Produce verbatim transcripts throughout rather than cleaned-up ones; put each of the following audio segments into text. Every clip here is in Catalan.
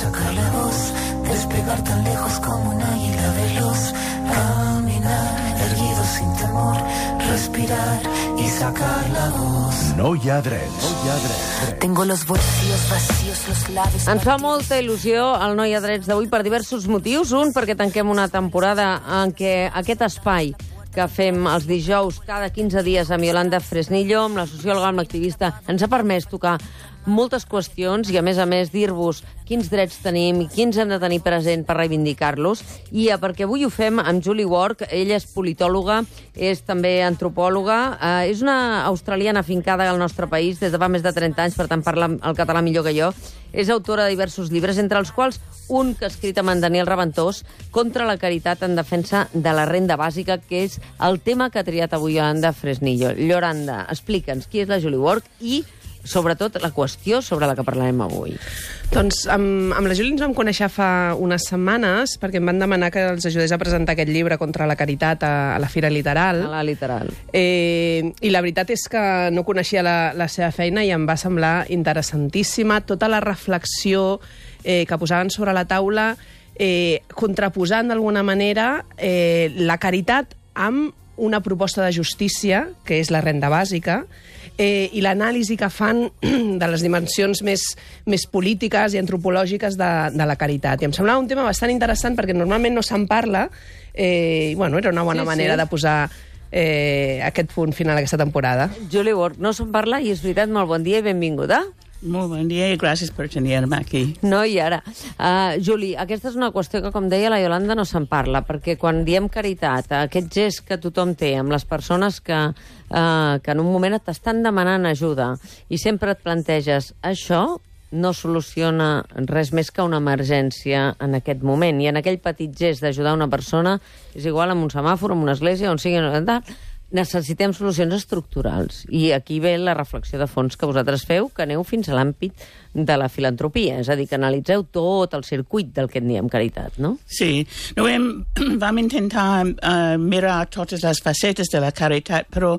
sacar la voz, despegar tan lejos como un águila veloz, caminar erguido sin temor, respirar y sacar la voz. No hi ha drets. No hi ha drets. Tengo los bolsillos vacíos, los labios... Ens fa molta il·lusió el No hi ha drets d'avui per diversos motius. Un, perquè tanquem una temporada en què aquest espai que fem els dijous cada quinze dies amb Yolanda Fresnillo, amb la sociòloga, amb l'activista, ens ha permès tocar moltes qüestions i, a més a més, dir-vos quins drets tenim i quins hem de tenir present per reivindicar-los. I perquè avui ho fem amb Julie Ward. Ella és politòloga, és també antropòloga, eh, és una australiana afincada al nostre país des de fa més de trenta anys, per tant parla el català millor que jo. És autora de diversos llibres, entre els quals un que ha escrit amb en Daniel Raventós, Contra la caritat en defensa de la renda bàsica, que és el tema que ha triat avui Yolanda Fresnillo. Yolanda, explica'ns qui és la Julie Ward i, sobretot, la qüestió sobre la que parlarem avui. Doncs amb, amb la Júlia ens vam conèixer fa unes setmanes perquè em van demanar que els ajudés a presentar aquest llibre Contra la caritat a, a la Fira Literal. A la Literal. Eh, I la veritat és que no coneixia la, la seva feina i em va semblar interessantíssima tota la reflexió eh, que posaven sobre la taula, eh, contraposant d'alguna manera eh, la caritat amb una proposta de justícia, que és la renda bàsica, eh, i l'anàlisi que fan de les dimensions més, més polítiques i antropològiques de, de la caritat. I em semblava un tema bastant interessant perquè normalment no se'n parla, eh, i bueno, era una bona sí, manera sí. de posar eh, aquest punt final a aquesta temporada. Julie Ward, no se'n parla i és veritat, molt bon dia i benvinguda. Molt bon dia i gràcies per tenir-me aquí. No, i ara. Uh, Juli, aquesta és una qüestió que, com deia la Yolanda, no se'n parla, perquè quan diem caritat, aquest gest que tothom té amb les persones que, uh, que en un moment t'estan demanant ajuda i sempre et planteges això no soluciona res més que una emergència en aquest moment. I en aquell petit gest d'ajudar una persona, és igual amb un semàfor, amb una església, on sigui... necessitem solucions estructurals. I aquí ve la reflexió de fons que vosaltres feu, que aneu fins a l'àmbit de la filantropia, és a dir, que analitzeu tot el circuit del que en diem caritat, no? Sí, no, hem, vam intentar uh, mirar totes les facetes de la caritat, però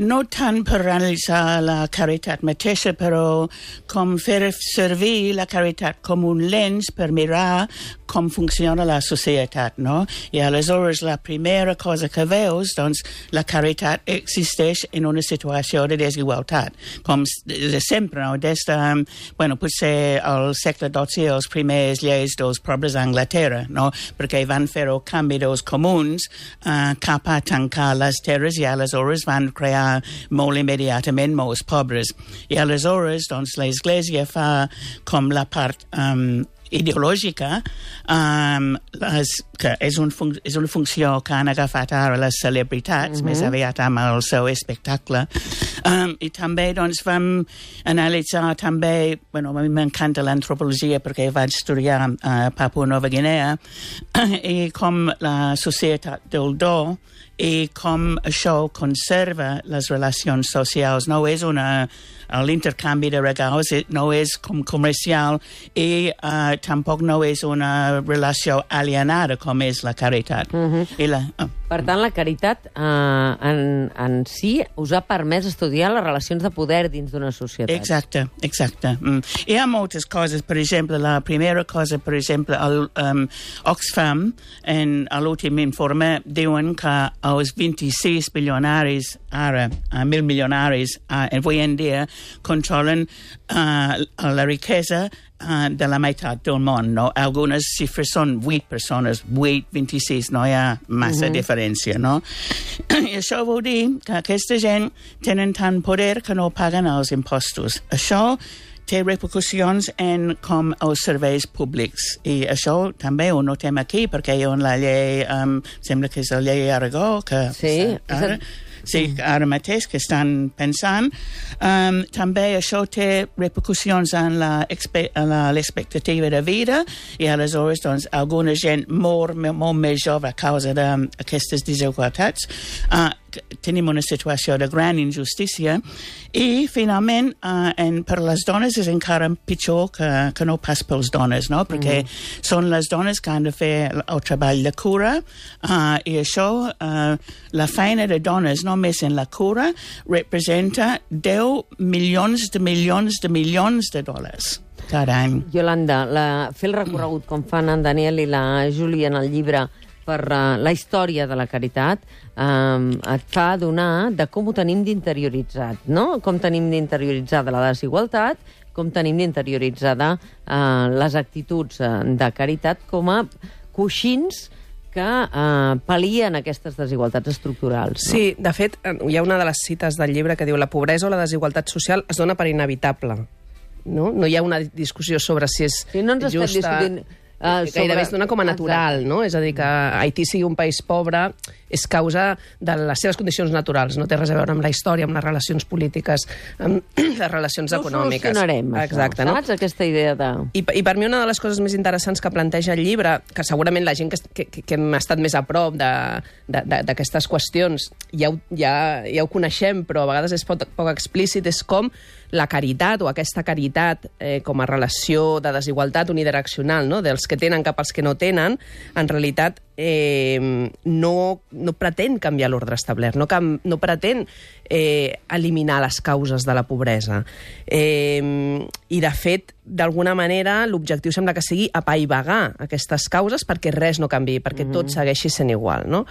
no tant per analitzar la caritat mateixa, però com fer servir la caritat com un lens per mirar com funciona la societat, no? I aleshores la primera cosa que veus, doncs, la caritat existeix en una situació de desigualtat, com de sempre, no? Des de, bueno, potser al segle dotze, els primers lleis dels pobles d'Anglaterra, no? Perquè van fer el canvi dels comuns uh, cap a tancar les terres i aleshores van crear molt immediatament molts pobres. I aleshores, doncs, l'Església fa com la part... Um, ideològica, um, les, que és, un fun és una funció que han agafat ara les celebritats, mm-hmm. més aviat amb el seu espectacle. Um, I també doncs, vam analitzar també, bueno, a mi m'encanta l'antropologia perquè vaig estudiar a uh, Papua Nova Guinea, i com la societat del do i com això conserva les relacions socials. No és una... l'intercanvi de regals no és com comercial i uh, tampoc no és una relació alienada com és la caritat. Mm-hmm. I la, oh. Per tant, la caritat eh, en, en si us ha permès estudiar les relacions de poder dins d'una societat. Exacte, exacte. Mm. Hi ha moltes coses, per exemple, la primera cosa, per exemple, el um, Oxfam, en l'últim informe, diuen que els vint-i-sis milionaris ara, uh, mil milionaris uh, avui en dia, controlen uh, la riquesa uh, de la meitat del món, no? Algunes xifres són vuit persones, vuit, vint-i-sis, no hi ha massa uh-huh. diferència, no? I això vol dir que aquesta gent tenen tant poder que no paguen els impostos. Això té repercussions en com els serveis públics. I això també ho notem aquí, perquè hi ha la llei, um, sembla que és la llei Aragó, que... Sí, ara, sí, ara mateix que estan pensant. Um, també això té repercussions en l'expectativa de vida i aleshores doncs, alguna gent mor molt més jove a causa d'aquestes desigualtats. Uh, tenim una situació de gran injustícia i, finalment, uh, en, per les dones és encara pitjor que, que no pas pels dones, no? Perquè mm. són les dones que han de fer el treball de cura uh, i això, uh, la feina de dones només en la cura representa deu milions de milions de milions de dòlars. cada any. Iolanda, la, fer el recorregut com fan en Daniel i la Júlia en el llibre per uh, la història de la caritat um, et fa adonar de com ho tenim d'interioritzat, no? Com tenim d'interioritzada la desigualtat, com tenim d'interioritzada uh, les actituds uh, de caritat com a coixins que eh, pal·lien aquestes desigualtats estructurals. No? Sí, de fet, hi ha una de les cites del llibre que diu la pobresa o la desigualtat social es dona per inevitable. No, no hi ha una discussió sobre si és sí, no ens justa... estem discutint... Uh, sobre... Gairebé es dona com a natural, no? És a dir, que Haití sigui un país pobre és causa de les seves condicions naturals, no té res a veure amb la història, amb les relacions polítiques, amb les relacions no econòmiques. No solucionarem, exacte, això, no? saps? Aquesta idea de... I, I per mi una de les coses més interessants que planteja el llibre, que segurament la gent que, que, que hem estat més a prop d'aquestes qüestions ja ho, ja, ja ho coneixem, però a vegades és poc, poc explícit, és com la caritat o aquesta caritat eh, com a relació de desigualtat unidireccional, no? Dels que tenen cap als que no tenen, en realitat eh, no, no pretén canviar l'ordre establert, no, cam, no pretén eh, eliminar les causes de la pobresa. Eh, I, de fet, d'alguna manera, l'objectiu sembla que sigui apaivagar aquestes causes perquè res no canviï, perquè mm-hmm. tot segueixi sent igual, no?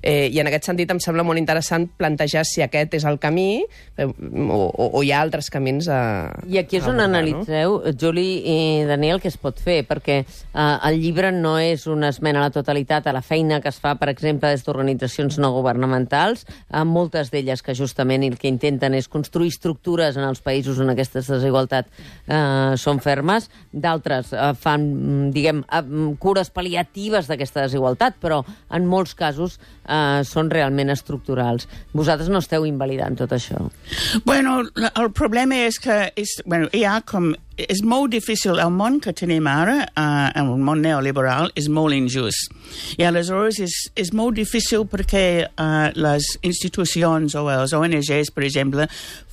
Eh, I en aquest sentit em sembla molt interessant plantejar si aquest és el camí eh, o, o, o hi ha altres camins a... I aquí és on abordar, analitzeu, no? Juli i Daniel, què es pot fer, perquè eh, el llibre no és una esmena a la totalitat a la feina que es fa, per exemple, des d'organitzacions no governamentals, eh, moltes d'elles que justament el que intenten és construir estructures en els països on aquestes desigualtats eh, són fermes, d'altres eh, fan, diguem, eh, cures pal·liatives d'aquesta desigualtat, però en molts casos eh, són realment estructurals. Vosaltres no esteu invalidant tot això. Bueno, el problema és que és, bueno, hi ha com... És molt difícil, el món que tenim ara, uh, el món neoliberal, és molt injust. I aleshores és, és molt difícil perquè uh, les institucions o els O N Gs, per exemple,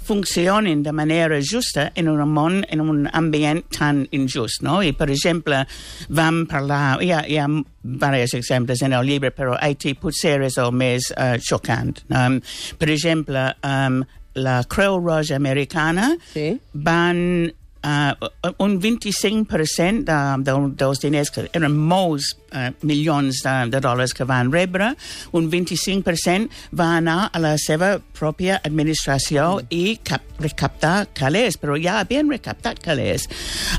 funcionen de manera justa en un món, en un ambient tan injust, no? I, per exemple, vam parlar... Hi ha, hi ha diversos exemples en el llibre, però Haití potser és el més uh, xocant. Um, per exemple, um, la Creu Roja Americana sí? van... Uh, un vint-i-cinc per cent de, de, dels diners, que eren molts uh, milions de, de dòlars que van rebre, un vint-i-cinc per cent va anar a la seva pròpia administració mm. i cap, recaptar calés, però ja havien recaptat calés.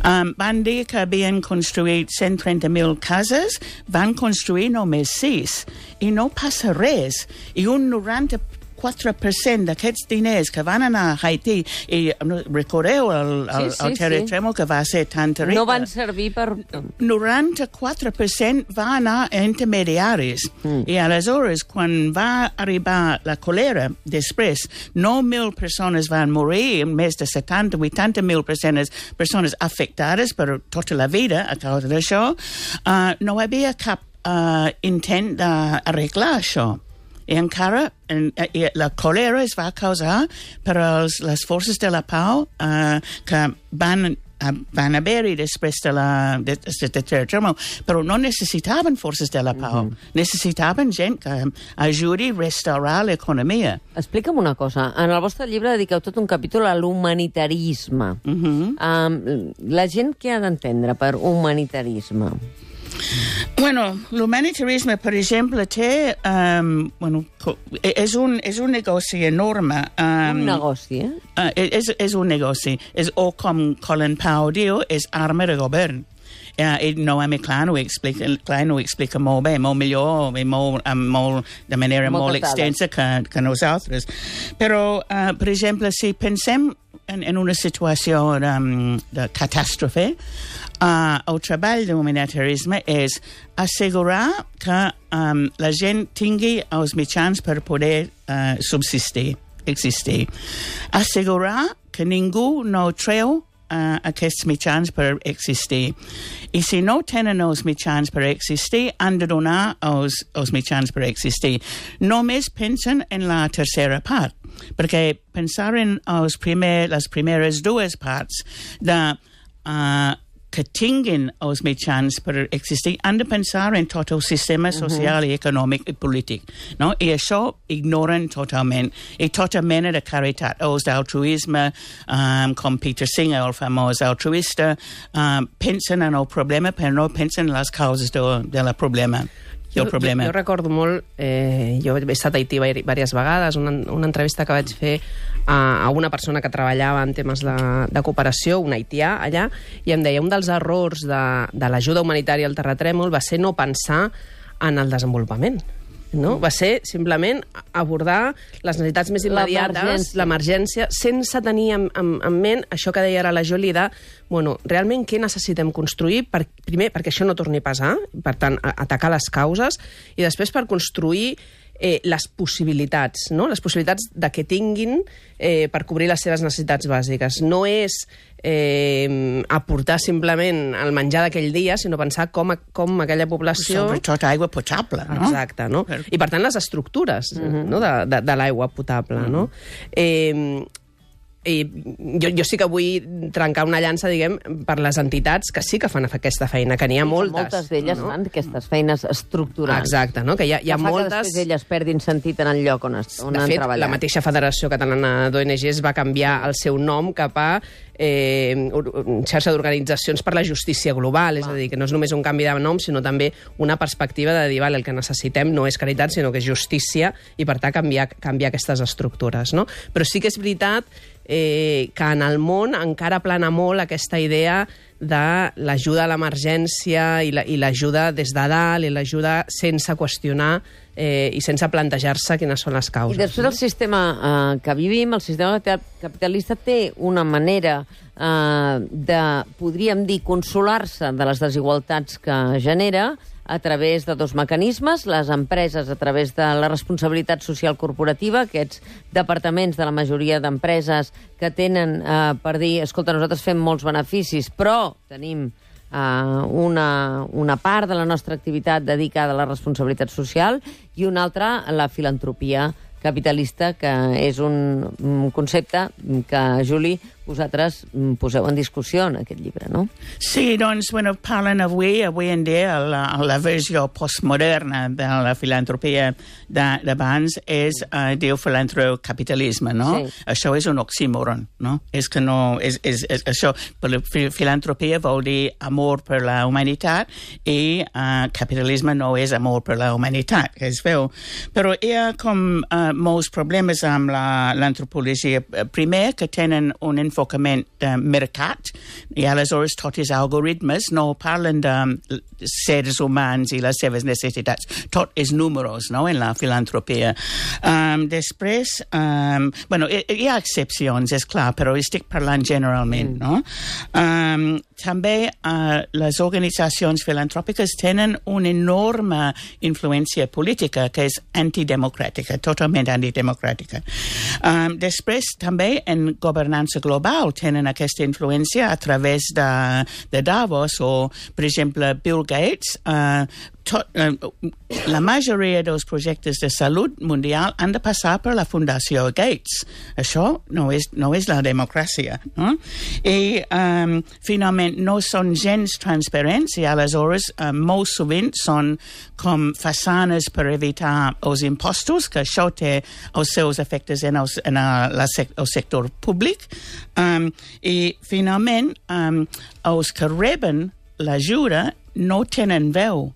Um, van dir que havien construït cent trenta mil cases, van construir només sis, i no passa res. I un noranta quatre per cent d'aquests diners que van anar a Haití, i recordeu el, el, sí, sí, el terratrèmol sí. que va ser tan terrible. No van servir per... noranta-quatre per cent va anar a intermediaris. Mm. I aleshores, quan va arribar la colera, després, nou mil persones van morir, més de setanta vuitanta mil persones, persones afectades per tota la vida a causa d'això, uh, no hi havia cap uh, intent d'arreglar això. I encara en, i la còlera es va causar per als, les forces de la pau uh, que van, uh, van haver-hi després de la de, de, de terratrèmol, però no necessitaven forces de la pau. Mm-hmm. Necessitaven gent que ajudi a restaurar l'economia. Explica'm una cosa. En el vostre llibre dediqueu tot un capítol a l'humanitarisme. Mm-hmm. Um, la gent què ha d'entendre per humanitarisme? Bueno, l'humanitarisme, per exemple, té... Um, bueno, és un, és un negoci enorme. Um, un negoci, eh? Uh, és, és un negoci. És, o com Colin Powell diu, és arma de govern. Uh, i Noemi Klein ho explica, Klein ho explica molt bé, molt millor, i molt, um, molt, de manera Moltes molt extensa que, que nosaltres. Però, uh, per exemple, si pensem en, en una situació um, de catàstrofe, uh, el treball d'humanitarisme és assegurar que um, la gent tingui els mitjans per poder uh, subsistir, existir. Assegurar que ningú no treu Uh, aquests mitjans per existir. I si no tenen els mitjans per existir, han de donar els, els mitjans per existir. Només pensen en la tercera part, perquè pensar en els primer, les primeres dues parts de uh, que tinguin els mitjans per existir han de pensar en tot el sistema social uh-huh. i econòmic i polític, no? I això ignoren totalment. I tota mena de caritat, els d'altruisme, um, com Peter Singer, el famós altruista, um, pensen en el problema però no pensen en les causes de, de la problema. Jo, jo, jo recordo molt, eh, jo he estat a Haití diverses vegades, una, una entrevista que vaig fer a, a una persona que treballava en temes de, de cooperació, un haitià allà, i em deia un dels errors de, de l'ajuda humanitària al terratrèmol va ser no pensar en el desenvolupament. No? Va ser simplement abordar les necessitats més immediates, l'emergència, sense tenir en, en, en ment això que deia ara la Jolie de, bueno, realment què necessitem construir, per, primer perquè això no torni a passar, per tant, a, atacar les causes, i després per construir eh, les possibilitats, no? Les possibilitats de que tinguin eh, per cobrir les seves necessitats bàsiques. No és eh, aportar simplement el menjar d'aquell dia, sinó pensar com, com aquella població... Sobretot aigua potable, no? Exacte, no? I per tant les estructures uh-huh. no? de, de, de l'aigua potable, uh-huh. no? Eh, I jo, jo sí que vull trencar una llança, diguem, per les entitats que sí que fan aquesta feina, que n'hi ha moltes. Moltes d'elles no? fan aquestes feines estructurals. Exacte, no? Que hi ha, hi ha que moltes... Que després elles perdin sentit en el lloc on, es, on de han fet, treballat. La mateixa Federació Catalana d'O N Ges va canviar el seu nom cap a eh, xarxa d'organitzacions per la justícia global, és a dir, que no és només un canvi de nom, sinó també una perspectiva de dir, vale, el que necessitem no és caritat, sinó que és justícia, i per tant canviar, canviar aquestes estructures, no? Però sí que és veritat eh, que en el món encara plana molt aquesta idea de l'ajuda a l'emergència i l'ajuda la, des de dalt i l'ajuda sense qüestionar eh, i sense plantejar-se quines són les causes. I després el sistema eh, que vivim, el sistema capitalista té una manera eh, de, podríem dir, consolar-se de les desigualtats que genera a través de dos mecanismes, les empreses a través de la responsabilitat social corporativa, aquests departaments de la majoria d'empreses que tenen eh, per dir, escolta, nosaltres fem molts beneficis, però tenim eh, una, una part de la nostra activitat dedicada a la responsabilitat social i una altra a la filantropia capitalista, que és un, un concepte que, Julie, vosaltres poseu en discussió en aquest llibre, no? Sí, doncs, bueno, parlen avui, avui en dia, la, la versió postmoderna de la filantropia d'abans és, uh, diu, filantropicapitalisme, no? Sí. Això és un oxímoron, no? És que no... És, és, és, això, filantropia vol dir amor per la humanitat i uh, capitalisme no és amor per la humanitat, que es veu. Però hi ha com uh, molts problemes amb l'antropologia. Primer, que tenen un enfocament de mercat, i aleshores tots els algoritmes no parlen de seres humans i les seves necessitats. Tot és números, no?, en la filantropia. Um, després, um, bueno, hi, hi ha excepcions, és clar, però estic parlant generalment, no? Um, també uh, les organitzacions filantròpiques tenen una enorme influència política que és antidemocràtica, totalment antidemocràtica. Um, després, també en governança global tenen aquesta influència a través de, de Davos o, per exemple, Bill Gates. Uh, tot, uh, la majoria dels projectes de salut mundial han de passar per la Fundació Gates. Això no és, no és la democràcia, no? I, um, finalment, no són gens transparents i, aleshores, uh, molt sovint són com façanes per evitar els impostos, que això té els seus efectes en el, en el, la sec, el sector públic. Um, I, finalment, um, els que reben l'ajuda no tenen veu.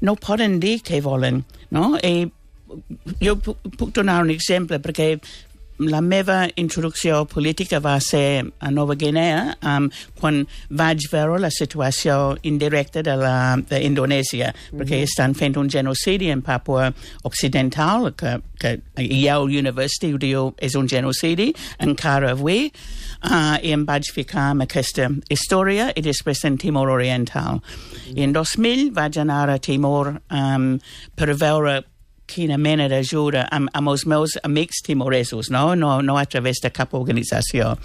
No poden dir què volen, no? I jo puc donar un exemple, perquè la meva introducció política va ser a Nova Guinea um, quan vaig veure la situació indirecta de l'Indonèsia, mm-hmm. perquè estan fent un genocidi en Papua Occidental, que, que Yale University ho diu és un genocidi encara avui, uh, i em vaig ficar amb aquesta història i després en Timor Oriental. Mm-hmm. I en dos mil vaig anar a Timor um, per veure quina mena d'ajuda amb, amb els meus amics timoresos, no? No, no a través de cap organització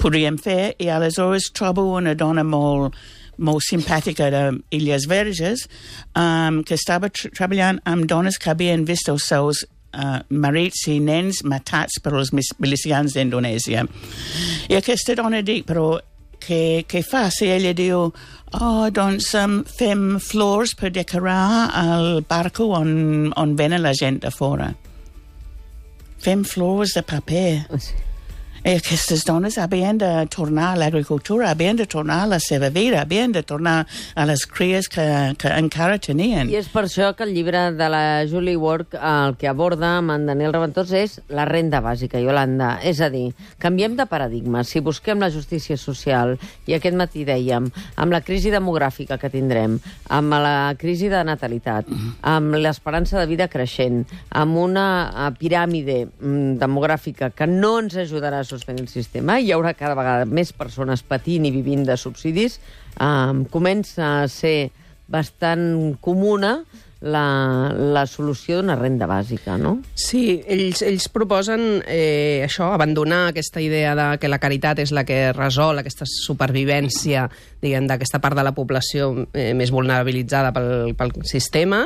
podríem fer, i aleshores trobo una dona molt, molt simpàtica d'Illes Verges um, que estava tra treballant amb dones que havien vist els seus uh, marits i nens matats per els milicians d'Indonèsia. I aquesta dona dic, però què, què fa? Si ella diu, oh, doncs um, fem flors per decorar el barco on, on venen la gent de fora. Fem flors de paper. Sí. I aquestes dones havien de tornar a l'agricultura, havien de tornar a la seva vida, havien de tornar a les cries que, que encara tenien. I és per això que el llibre de la Julie Ward el que aborda amb en Daniel Raventós és la renda bàsica, Iolanda. És a dir, canviem de paradigma. Si busquem la justícia social, i aquest matí dèiem, amb la crisi demogràfica que tindrem, amb la crisi de natalitat, amb l'esperança de vida creixent, amb una piràmide mm, demogràfica que no ens ajudarà a sostenir el sistema, hi haurà cada vegada més persones patint i vivint de subsidis, eh, comença a ser bastant comuna la, la solució d'una renda bàsica, no? Sí, ells, ells proposen eh, això, abandonar aquesta idea de que la caritat és la que resol aquesta supervivència, diguem, d'aquesta part de la població eh, més vulnerabilitzada pel, pel sistema,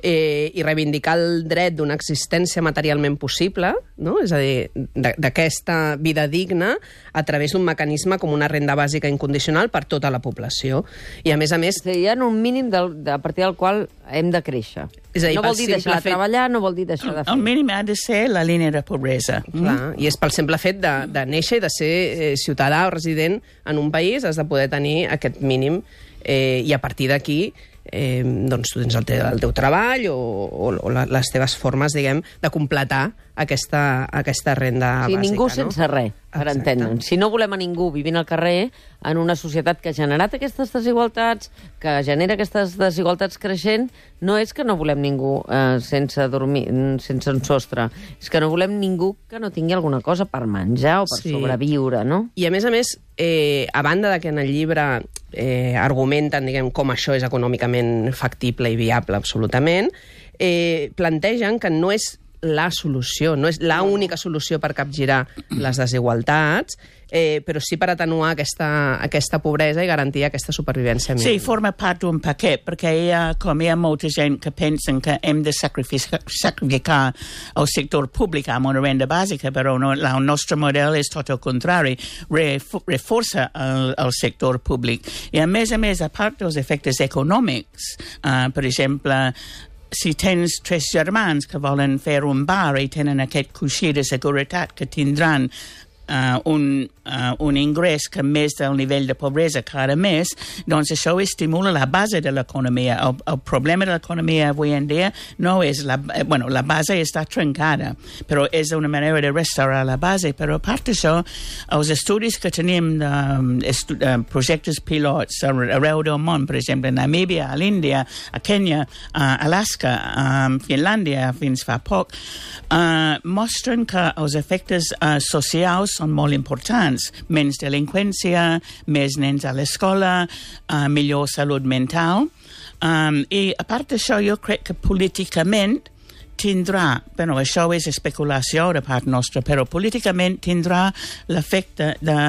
eh, i reivindicar el dret d'una existència materialment possible, no? És a dir, d'aquesta vida digna a través d'un mecanisme com una renda bàsica incondicional per tota la població. I a més a més... Hi ha un mínim del, de, a partir del qual hem de créixer. És a dir, no vol dir deixar de fet... treballar, no vol dir deixar de fer. El mínim ha de ser la línia de pobresa. Clar, mm? I és pel simple fet de, de néixer i de ser eh, ciutadà o resident en un país, has de poder tenir aquest mínim, eh, i a partir d'aquí eh, doncs tu tens el teu, el teu treball o, o, o les teves formes, diguem, de completar aquesta, aquesta renda sí, bàsica. Ningú no? sense res, per Exacte. entendre'ns. Si no volem a ningú vivint al carrer en una societat que ha generat aquestes desigualtats, que genera aquestes desigualtats creixent, no és que no volem ningú eh, sense dormir, sense un sostre, és que no volem ningú que no tingui alguna cosa per menjar o per Sí. sobreviure, no? I a més a més, eh, a banda de que en el llibre eh, argumenten, diguem, com això és econòmicament factible i viable absolutament, eh, plantegen que no és la solució, no és la única solució per capgirar les desigualtats, eh, però sí per atenuar aquesta, aquesta pobresa i garantir aquesta supervivència mínima. Sí, forma part d'un paquet, perquè hi ha, com hi ha molta gent que pensen que hem de sacrificar, sacrificar el sector públic amb una renda bàsica, però no, el nostre model és tot el contrari, reforça el, el sector públic. I a més a més, a part dels efectes econòmics, uh, per exemple, si tens tres germans que volen fer un bar i tenen aquest coixí de seguretat que tindran uh, un, uh, un ingrés que més del nivell de pobresa cada mes, doncs això estimula la base de l'economia. El, el problema de l'economia avui en dia no és la... Bueno, la base està trencada, però és una manera de restaurar la base. Però a part d'això, els estudis que tenim de estu, uh, projectes pilots arreu del món, per exemple, a Namíbia, a l'Índia, a Kenya, a Alaska, a Finlàndia, fins fa poc, uh, mostren que els efectes uh, socials són molt importants. Menys delinqüència, més nens a l'escola, uh, millor salut mental. Um, I a part d'això, jo crec que políticament tindrà, bueno, això és especulació de part nostra, però políticament tindrà l'efecte de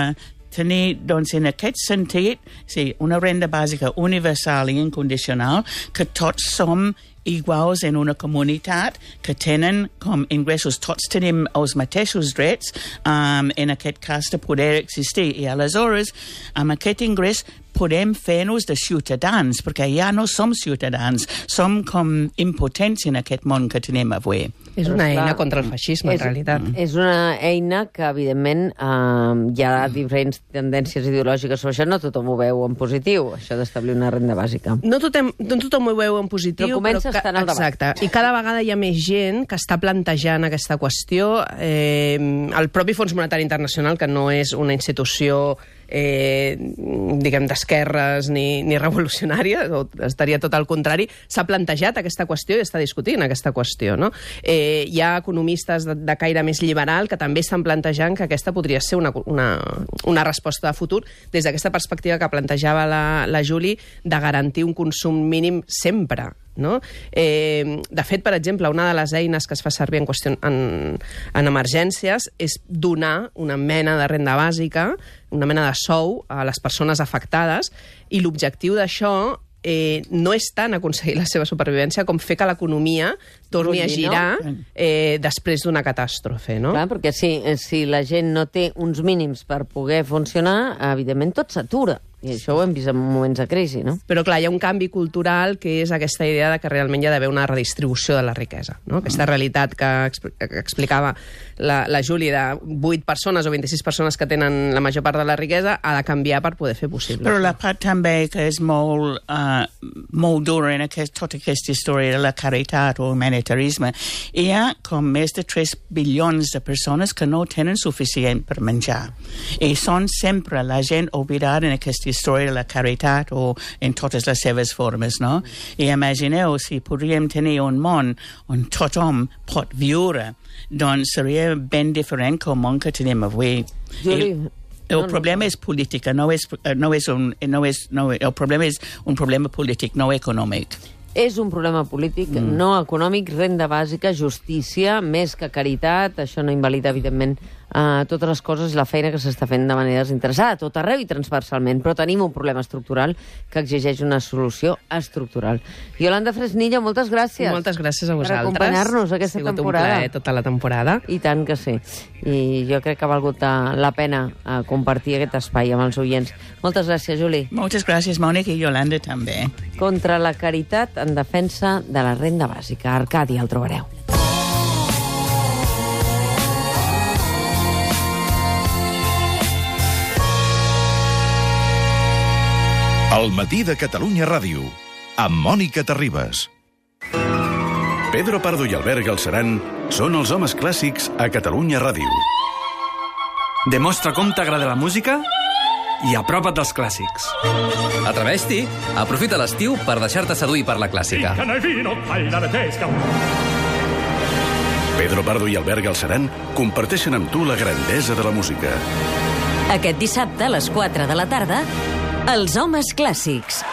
tenir, doncs, en aquest sentit, sí, una renda bàsica universal i incondicional, que tots som iguals en una comunitat, que tenen com ingressos, tots tenim els mateixos drets, um, en aquest cas de poder existir. I aleshores, amb aquest ingrés, podem fer-nos de ciutadans, perquè ja no som ciutadans, som com impotents en aquest món que tenim avui. És una Però, eina clar, contra el feixisme, és, en realitat. És una eina que, evidentment, eh, hi ha diferents tendències ideològiques sobre això. No tothom ho veu en positiu, això d'establir una renda bàsica. No tothom, no tothom ho veu en positiu, Però comença a estar en el debat. Exacte. I cada vegada hi ha més gent que està plantejant aquesta qüestió. Eh, el propi Fons Monetari Internacional, que no és una institució eh, diguem, d'esquerres ni, ni revolucionària, o estaria tot al contrari, s'ha plantejat aquesta qüestió i està discutint aquesta qüestió, no? Eh, hi ha economistes de, de caire més liberal que també estan plantejant que aquesta podria ser una, una, una resposta de futur des d'aquesta perspectiva que plantejava la, la Julie de garantir un consum mínim sempre, no? Eh, de fet, per exemple, una de les eines que es fa servir en, qüestió, en, en emergències és donar una mena de renda bàsica, una mena de sou a les persones afectades, i l'objectiu d'això eh, no és tant aconseguir la seva supervivència com fer que l'economia torni a girar eh, després d'una catàstrofe, no? Clar, perquè si, si la gent no té uns mínims per poder funcionar, evidentment tot s'atura. I això ho hem vist en moments de crisi, no? Però, clar, hi ha un canvi cultural que és aquesta idea de que realment hi ha d'haver una redistribució de la riquesa, no? Aquesta realitat que, expl que explicava la, la Júlia de vuit persones o vint-i-sis persones que tenen la major part de la riquesa ha de canviar per poder fer possible. Però la part també que és molt, uh, molt dura en aquest, tota aquesta història de la caritat o humanitarisme, hi ha com més de tres bilions de persones que no tenen suficient per menjar. I són sempre la gent oblidada en aquesta història de la caritat o en totes les seves formes, no? I imagineu si podríem tenir un món on tothom pot viure, doncs seria ben diferent que el món que tenim avui. Juli, I, el problema és política, no és, no és un, no és, no, el problema és un problema polític, no econòmic. És un problema polític, mm. no econòmic, renda bàsica, justícia, més que caritat, això no invalida, evidentment, uh, totes les coses i la feina que s'està fent de manera desinteressada, tot arreu i transversalment, però tenim un problema estructural que exigeix una solució estructural. Yolanda Fresnillo, moltes gràcies. Moltes gràcies a vosaltres. Per acompanyar-nos aquesta temporada. Ha sigut un plaer tota la temporada. I tant que sí. I jo crec que ha valgut la pena uh, compartir aquest espai amb els oients. Moltes gràcies, Juli. Moltes gràcies, Mònica, i Yolanda també. Contra la caritat en defensa de la renda bàsica. Arcadi, el trobareu. El matí de Catalunya Ràdio, amb Mònica Terribas. Pedro Pardo i Albert Galceran són els homes clàssics a Catalunya Ràdio. Demostra com t'agrada la música i apropa't dels clàssics. Atreveix-t'hi. Aprofita l'estiu per deixar-te seduir per la clàssica. Pedro Pardo i Albert Galceran comparteixen amb tu la grandesa de la música. Aquest dissabte a les quatre de la tarda, Els homes clàssics.